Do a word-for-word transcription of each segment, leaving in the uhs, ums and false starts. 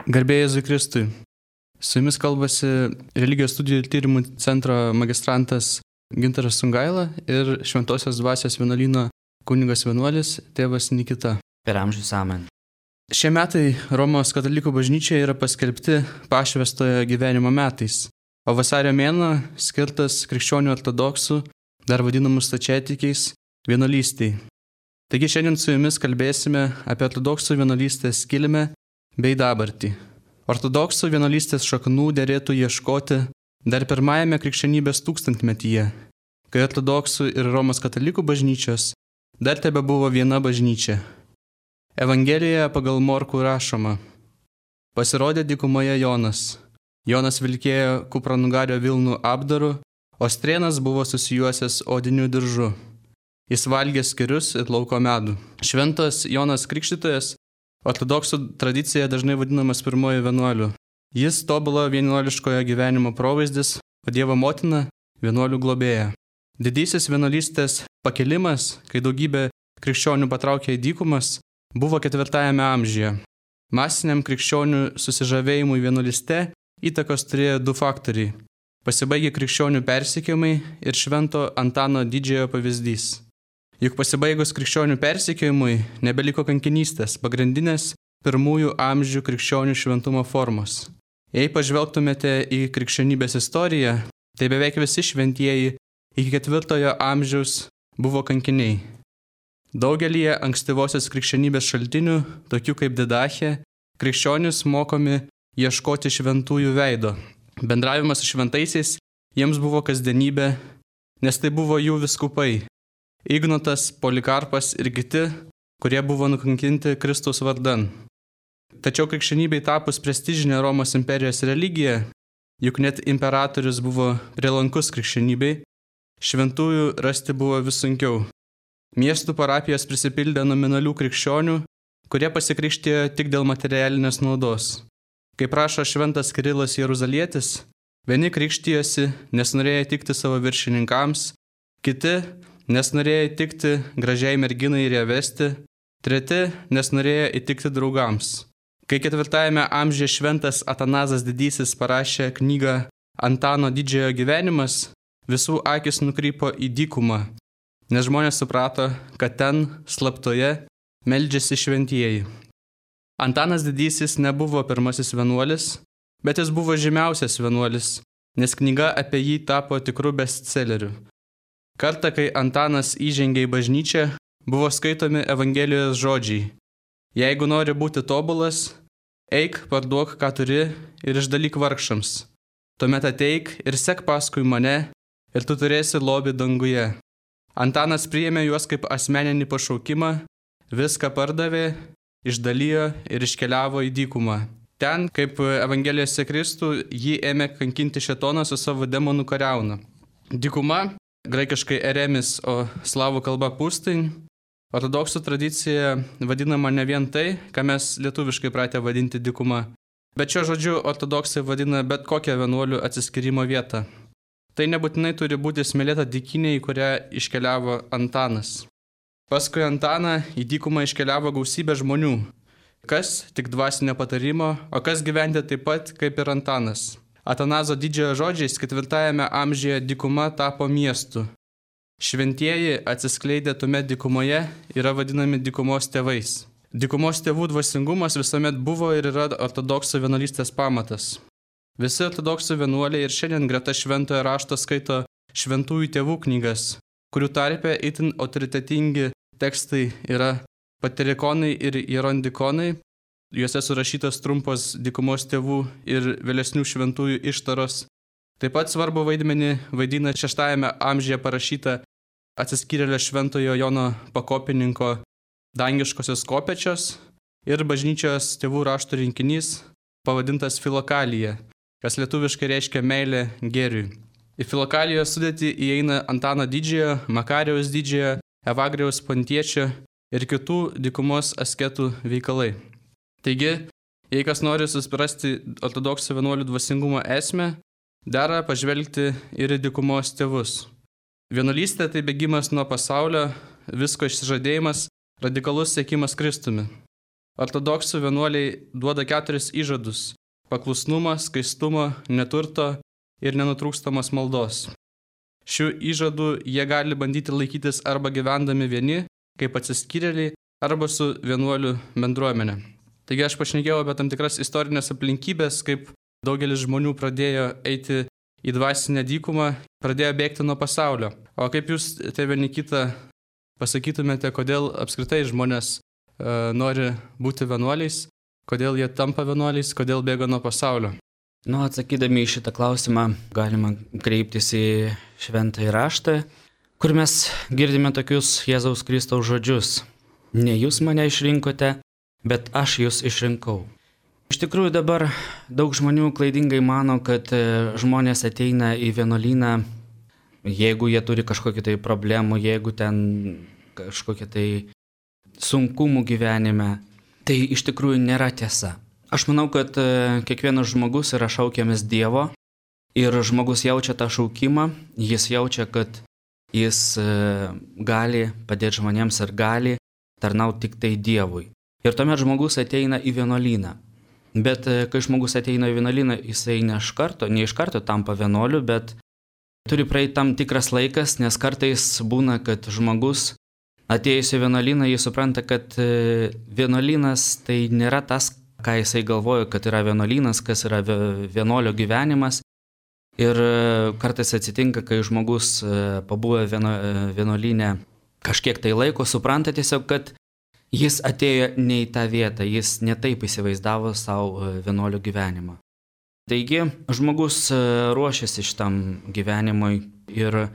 Garbė Jėzui Kristui. Su jumis kalbasi Religijos studijų ir tyrimų centro magistrantas Gintaras Sungaila ir Šventosios dvasios vienuolyno kunigas vienuolis tėvas Nikita. Per amžius amen. Šie metai Romos katalikų bažnyčioje yra paskelbti pašvęstojo gyvenimo metais, o vasario mėnuo skirtas krikščionių ortodoksų, dar vadinamų stačiatikiais, vienuolystei. Taigi šiandien su jumis kalbėsime apie ortodoksų vienuolystės kilmę bei dabartį. Ortodoksų vienuolystės šaknų derėtų ieškoti dar pirmajame krikščionybės tūkstantmetyje, kai ortodoksų ir Romos katalikų bažnyčios dar tebe buvo viena bažnyčia. Evangelijoje pagal Morkų rašoma: pasirodė dykumoje Jonas. Jonas vilkėjo kupranugario vilnų apdaru, o strėnas buvo susijuosęs odiniu diržu. Jis valgė skirius ir lauko medų. Šventas Jonas Krikštytojas ortodoksų tradicija dažnai vadinamas pirmoju vienuoliu. Jis tobulo vienuoliškojo gyvenimo provaizdis, o Dievo motina vienuolių globėja. Didysis vienuolystės pakilimas, kai daugybė krikščionių patraukė į dykumas, buvo ketvirtajame amžiuje. Masiniam krikščionių susižavėjimui vienuolyste įtakos turėjo du faktoriai. Pasibaigė krikščionių persekiojimai ir švento Antano didžiojo pavyzdys. Juk pasibaigus krikščionių persekiojimui nebeliko kankinystės, pagrindinės pirmųjų amžių krikščionių šventumo formos. Jei pažvelgtumėte į krikščionybės istoriją, tai beveik visi šventieji iki ketvirtojo amžiaus buvo kankiniai. Daugelyje ankstyvosios krikščionybės šaltinių, tokių kaip Didachė, krikščionys mokomi ieškoti šventųjų veido. Bendravimas su šventaisiais jiems buvo kasdienybė, nes tai buvo jų vyskupai – Ignotas, Polikarpas ir kiti, kurie buvo nukankinti Kristaus vardan. Tačiau krikščionybei tapus prestižinė Romos imperijos religija, juk net imperatorius buvo prielankus krikščionybei, šventųjų rasti buvo vis sunkiau. Miestų parapijos prisipildė nominalių krikščionių, kurie pasikrikštijo tik dėl materialinės naudos. Kaip rašo šventas Kirilas Jeruzalietis, vieni krikštijosi, nes norėjo įtikti savo viršininkams, kiti, nes norėjo įtikti gražiai merginai ir ją vesti, treti, nes norėjo įtikti draugams. Kai ketvirtajame amžiuje šventas Atanazas Didysis parašė knygą Antano didžiojo gyvenimas, visų akis nukrypo į dykumą, nes žmonės suprato, kad ten, slaptoje, meldžiasi šventieji. Antanas Didysis nebuvo pirmasis vienuolis, bet jis buvo žymiausias vienuolis, nes knyga apie jį tapo tikru bestselleriu. Kartą, kai Antanas įžengė į bažnyčią, buvo skaitomi Evangelijos žodžiai: jeigu nori būti tobulas, eik, parduok, ką turi ir išdalyk vargšams. Tuomet ateik ir sek paskui mane ir tu turėsi lobį danguje. Antanas priėmė juos kaip asmeninį pašaukimą, viską pardavė, išdalijo ir iškeliavo į dykumą. Ten, kaip Evangelijose Kristų, jį ėmė kankinti šėtonas su savo demonų kariauna. Dykuma, graikiškai eremis, o slavų kalba pustain, ortodoksų tradicija vadinama ne vien tai, ką mes lietuviškai pratę vadinti dykuma, bet šio žodžiu ortodoksai vadina bet kokią vienuolių atsiskyrimo vietą. Tai nebūtinai turi būti smėlėta dykynė, į kurią iškeliavo Antanas. Paskui Antaną į dykumą iškeliavo gausybė žmonių, kas tik dvasinio patarimo, o kas gyventi taip pat kaip ir Antanas. Atanazo didžiojo žodžiais ketvirtajame amžiuje dykuma tapo miestu. Šventieji atsiskleidę tuomet dykumoje yra vadinami dykumos tėvais. Dykumos tėvų dvasingumas visuomet buvo ir yra ortodoksų vienuolystės pamatas. Visi ortodoksų vienuoliai ir šiandien greta šventojo rašto skaito šventųjų tėvų knygas, kurių tarpe itin autoritetingi tekstai yra patrikonai ir hierondikonai. Juose surašytos trumpos dykumos tėvų ir vėlesnių šventųjų ištaros. Taip pat svarbu vaidmenį vaidina šeštajame amžiuje parašyta atsiskyrėlio šventojo Jono Pakopininko dangiškosios kopečios ir bažnyčios tėvų raštų rinkinys pavadintas Filokalija, kas lietuviškai reiškia meilė gėriui. Į Filokalijos sudėtį įeina Antano didžiojo, Makarijaus didžiojo, Evagrijaus Pontiečio ir kitų dykumos asketų veikalai. Taigi, jei kas nori suprasti ortodoksų vienuolių dvasingumo esmę, dera pažvelgti ir į dykumos tėvus. Vienuolystė tai bėgimas nuo pasaulio, visko išsižadėjimas, radikalus siekimas Kristumi. ortodoksų vienuoliai duoda keturis įžadus - paklusnumo, skaistumo, neturto ir nenutrūkstamos maldos. Šių įžadų jie gali bandyti laikytis arba gyvendami vieni, kaip atsiskyrėliai, arba su vienuolių bendruomenė. Taigi aš pašnekėjau apie tam tikras istorinės aplinkybės, kaip daugelis žmonių pradėjo eiti į dvasinę dykumą, pradėjo bėgti nuo pasaulio. O kaip jūs, tėve Nikita, pasakytumėte, kodėl apskritai žmonės e, nori būti vienuoliais, kodėl jie tampa vienuoliais, kodėl bėga nuo pasaulio? Nu, atsakydami į šitą klausimą galima kreiptis į šventąjį raštą, kur mes girdime tokius Jėzaus Kristaus žodžius. Ne jūs mane išrinkote, bet aš jūs išrinkau. Iš tikrųjų dabar daug žmonių klaidingai mano, kad žmonės ateina į vienuolyną, jeigu jie turi kažkokių tai problemų, jeigu ten kažkokie tai sunkumų gyvenime. Tai iš tikrųjų nėra tiesa. Aš manau, kad kiekvienas žmogus yra šaukiamas Dievo ir žmogus jaučia tą šaukimą, jis jaučia, kad jis gali padėti žmonėms ir gali tarnauti tik tai Dievui. Ir tuomet žmogus ateina į vienuolyną. Bet kai žmogus ateina į vienuolyną, jisai ne iš karto, ne iš karto tampa vienuoliu, bet turi praeiti tam tikras laikas, nes kartais būna, kad žmogus atėjus į vienuolyną, jis supranta, kad vienuolynas tai nėra tas, ką jisai galvoja, kad yra vienuolynas, kas yra vienuolio gyvenimas. Ir kartais atsitinka, kai žmogus pabuvę vienuolyne kažkiek tai laiko, supranta tiesiog, kad jis atėjo ne į tą vietą, jis netaip įsivaizdavo savo vienuolio gyvenimą. Taigi, žmogus ruošiasi šitam gyvenimui ir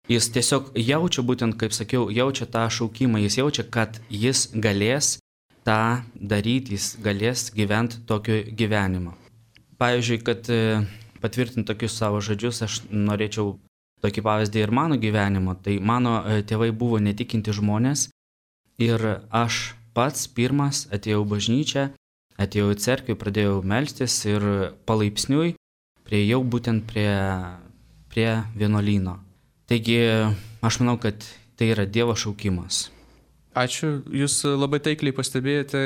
jis tiesiog jaučia, būtent kaip sakiau, jaučia tą šaukimą, jis jaučia, kad jis galės tą daryti, jis galės gyventi tokio gyvenimo. Pavyzdžiui, kad patvirtinti tokius savo žodžius, aš norėčiau tokį pavyzdį ir mano gyvenimo. Tai mano tėvai buvo netikinti žmonės ir aš pats pirmas atėjau į bažnyčią, atėjau į cerkvę, pradėjau melstis ir palaipsniui priėjau būtent prie, prie vienuolyno. Taigi aš manau, kad tai yra Dievo šaukimas. Ačiū. Jūs labai taikliai pastebėjote,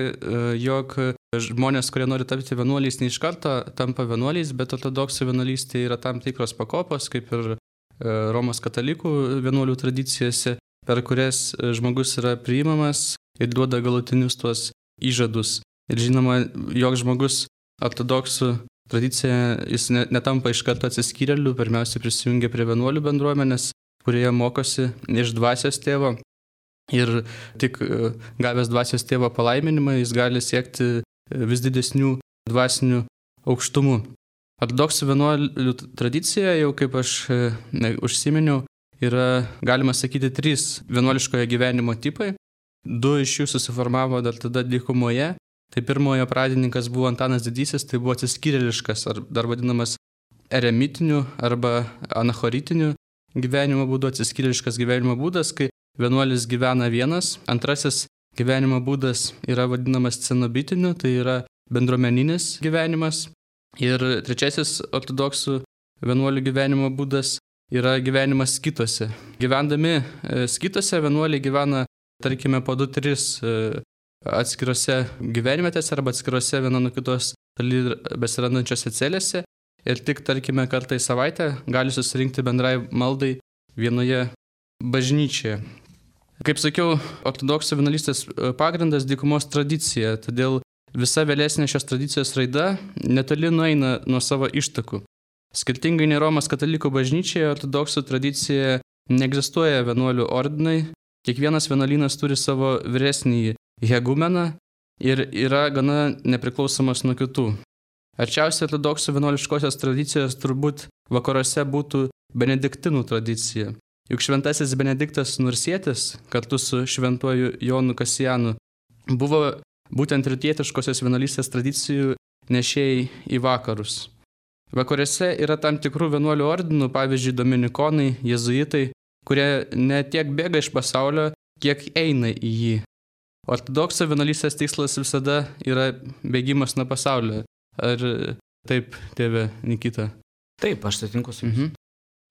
jog žmonės, kurie nori tapti vienuoliais, ne iš karto tampa vienuoliais, bet ortodoksų vienuolystė yra tam tikros pakopos, kaip ir Romos katalikų vienuolių tradicijose, per kurias žmogus yra priimamas ir duoda galutinius tuos įžadus. Ir žinoma, jog žmogus ortodoksų tradicija, jis netampa iš karto atsiskyrėliu, pirmiausia prisijungia prie vienuolių bendruomenės, kurioje mokosi iš dvasios tėvo. Ir tik gavęs dvasios tėvo palaiminimą, jis gali siekti vis didesnių dvasinių aukštumų. Ortodoksų vienuolių tradicija, jau kaip aš ne, užsiminiau, yra, galima sakyti, trys vienuoliškojo gyvenimo tipai. Du iš jų susiformavo dar tada dykumoje. Tai pirmojo pradininkas buvo Antanas Didysis, tai buvo atsiskyrėliškas, ar dar vadinamas eremitiniu arba anachoritiniu gyvenimo būdu, atsiskyrėliškas gyvenimo būdas, kai vienuolis gyvena vienas. Antrasis gyvenimo būdas yra vadinamas cenobitiniu, tai yra bendruomeninis gyvenimas. Ir trečiasis ortodoksų vienuolių gyvenimo būdas yra gyvenimas skitose. Gyvendami skitose vienuoliai gyvena, tarkime, po du tris atskirose gyvenvietėse arba atskirose viena nuo kitos toli besirandančiose celėse. Ir tik, tarkime, kartą į savaitę gali susirinkti bendrai maldai vienoje bažnyčioje. Kaip sakiau, ortodoksų vienuolystės pagrindas dykumos tradicija, todėl visa vėlesnė šios tradicijos raida netoli nueina nuo savo ištakų. Skirtingai nei Romos katalikų bažnyčioje, ortodoksų tradicija neegzistuoja vienuolių ordinai, kiekvienas vienuolynas turi savo vyresnįjį hegumeną ir yra gana nepriklausomas nuo kitų. Arčiausiai ortodoksų vienuoliškosios tradicijos turbūt vakaruose būtų benediktinų tradicija. Juk šventasis Benediktas Nursietis kartu su šventuoju Jonu Kasijanu buvo būtent rytietiškosios vienuolystės tradicijų nešėjai į vakarus. Vakaruose yra tam tikrų vienuolių ordinų, pavyzdžiui, dominikonai, jėzuitai, kurie ne tiek bėga iš pasaulio, kiek eina į jį. Ortodoksų vienuolystės tikslas visada yra bėgimas nuo pasaulio. Ar taip, tėve Nikita? Taip, aš sutinku su jums. Mhm.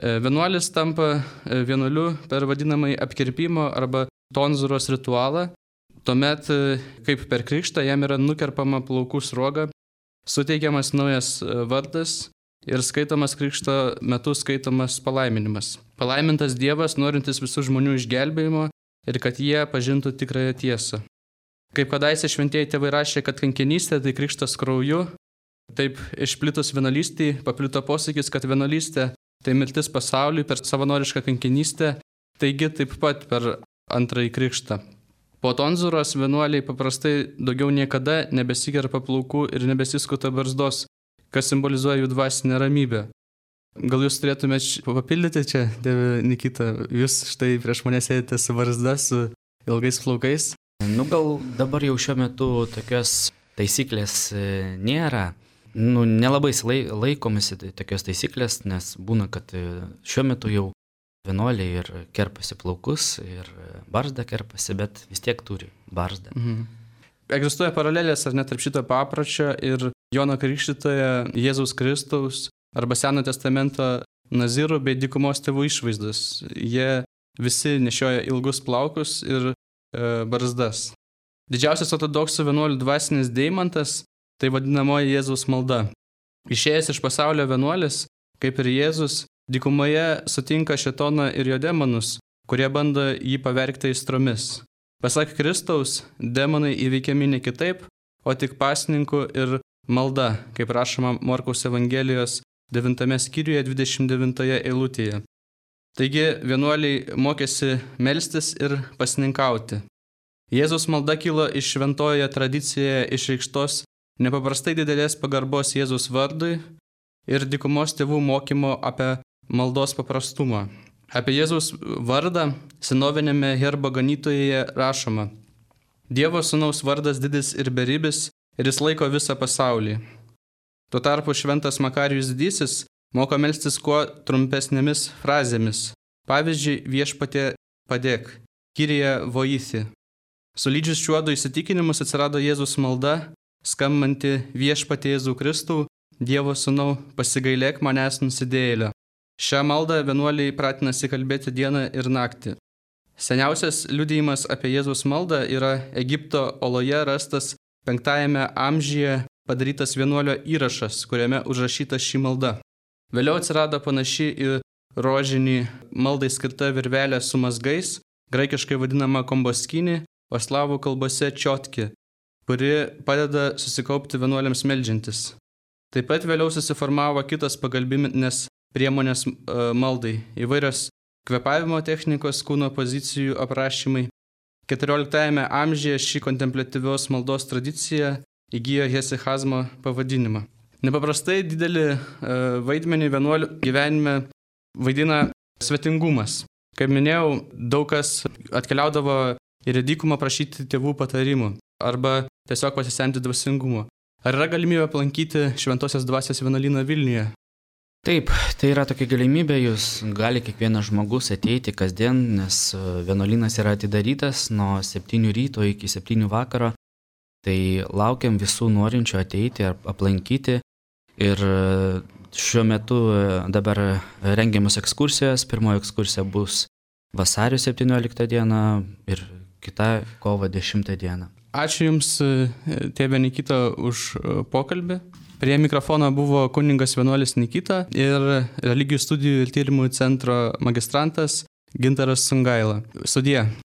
Vienuolis tampa vienuoliu per vadinamąjį apkirpimo arba tonzuros ritualą. Tuomet, kaip per krikštą, jam yra nukerpama plaukų sruoga, suteikiamas naujas vardas ir skaitomas krikšto metu skaitomas palaiminimas. Palaimintas Dievas, norintis visų žmonių išgelbėjimo ir kad jie pažintų tikrąją tiesą. Kaip kadaise šventieji tėvai rašė, kad kankinystė tai krikštas krauju, taip išplitus vienuolystei paplito posakis, kad vienuolystė tai mirtis pasauliui per savanorišką kankinystę, taigi taip pat per antrąjį krikštą. Po tonzūros vienuoliai paprastai daugiau niekada nebesikerpa plaukų ir nebesiskuta barzdos, kas simbolizuoja jų dvasinę ramybę. Gal jūs turėtumėte papildyti čia, Tėve Nikita, jūs štai prieš mane sėdite su barzda, su ilgais plaukais? Nu gal dabar jau šiuo metu tokios taisyklės nėra. Nu, nelabai laikomasi tokios taisyklės, nes būna, kad šiuo metu jau vienuoliai ir kerpasi plaukus, ir barzdą kerpasi, bet vis tiek turi barzdą. Mhm. Egzistuoja paralelės ar net tarp šito papročio ir Jono Krikštytojo, Jėzaus Kristaus arba Senojo testamento nazirų bei dykumos tėvų išvaizdos. Jie visi nešioja ilgus plaukus ir barzdas. Didžiausias ortodoksų vienuolių dvasinis deimantas tai vadinamoji Jėzaus malda. Išėjęs iš pasaulio vienuolis, kaip ir Jėzus, dykumoje sutinka šėtoną ir jo demonus, kurie bando jį pavergti aistromis. Pasak Kristaus, demonai įveikiami ne kitaip, o tik pasninku ir malda, kaip rašoma Morkaus Evangelijos devintame skyriuje dvidešimt devintoje eilutėje. Taigi vienuoliai mokėsi melstis ir pasninkauti. Jėzaus malda kilo iš šventojoje tradicijoje išreikštos nepaprastai didelės pagarbos Jėzaus vardui ir dykumos tėvų mokymo apie maldos paprastumą. Apie Jėzaus vardą senovinėme herbo ganytoje rašoma: Dievo sūnaus vardas didis ir beribis ir jis laiko visą pasaulį. Tuo tarpu šventas Makarijus Didysis moko melstis kuo trumpesnėmis frazėmis. Pavyzdžiui, viešpatie padėk, Kyrie voithi. Sulydžius šiuodu įsitikinimus atsirado Jėzus malda, skambanti viešpatie Jėzų Kristų, Dievo sūnau, pasigailėk manęs nusidėjėlio. Šią maldą vienuoliai pratinasi kalbėti dieną ir naktį. Seniausias liudijimas apie Jėzaus maldą yra Egipto oloje rastas penktajame amžiuje padarytas vienuolio įrašas, kuriame užrašyta ši malda. Vėliau atsirado panaši į rožinį maldai skirta virvelė su mazgais, graikiškai vadinama komboskini, o slavų kalbose čiotki, kuri padeda susikaupti vienuoliams meldžiantis. Taip pat vėliau susiformavo kitas pagalbinės priemonės maldai, įvairios kvėpavimo technikos, kūno pozicijų aprašymai. keturioliktajame amžiuje ši kontempliatyvios maldos tradicija įgijo hesichazmo pavadinimą. Nepaprastai didelį vaidmenį vienuolių gyvenime vaidina svetingumas. Kaip minėjau, daug kas atkeliaudavo ir į dykumą prašyti tėvų patarimų arba tiesiog pasisemti dvasingumo. Ar yra galimybė aplankyti Šventosios dvasios vienuolyną Vilniuje? Taip, tai yra tokia galimybė, jūs gali kiekvienas žmogus ateiti kasdien, nes vienuolynas yra atidarytas nuo septynių ryto iki septynių vakaro. Tai laukiam visų norinčių ateiti ir aplankyti. Ir šiuo metu dabar rengiamos ekskursijos. Pirmoji ekskursija bus vasario septynioliktą dieną ir kita kovo dešimtą dieną. Ačiū Jums, tėve Nikita, už pokalbį. Prie mikrofono buvo kuningas vienuolis Nikita ir Religijų studijų ir tyrimų centro magistrantas Gintaras Sungaila. Sudie.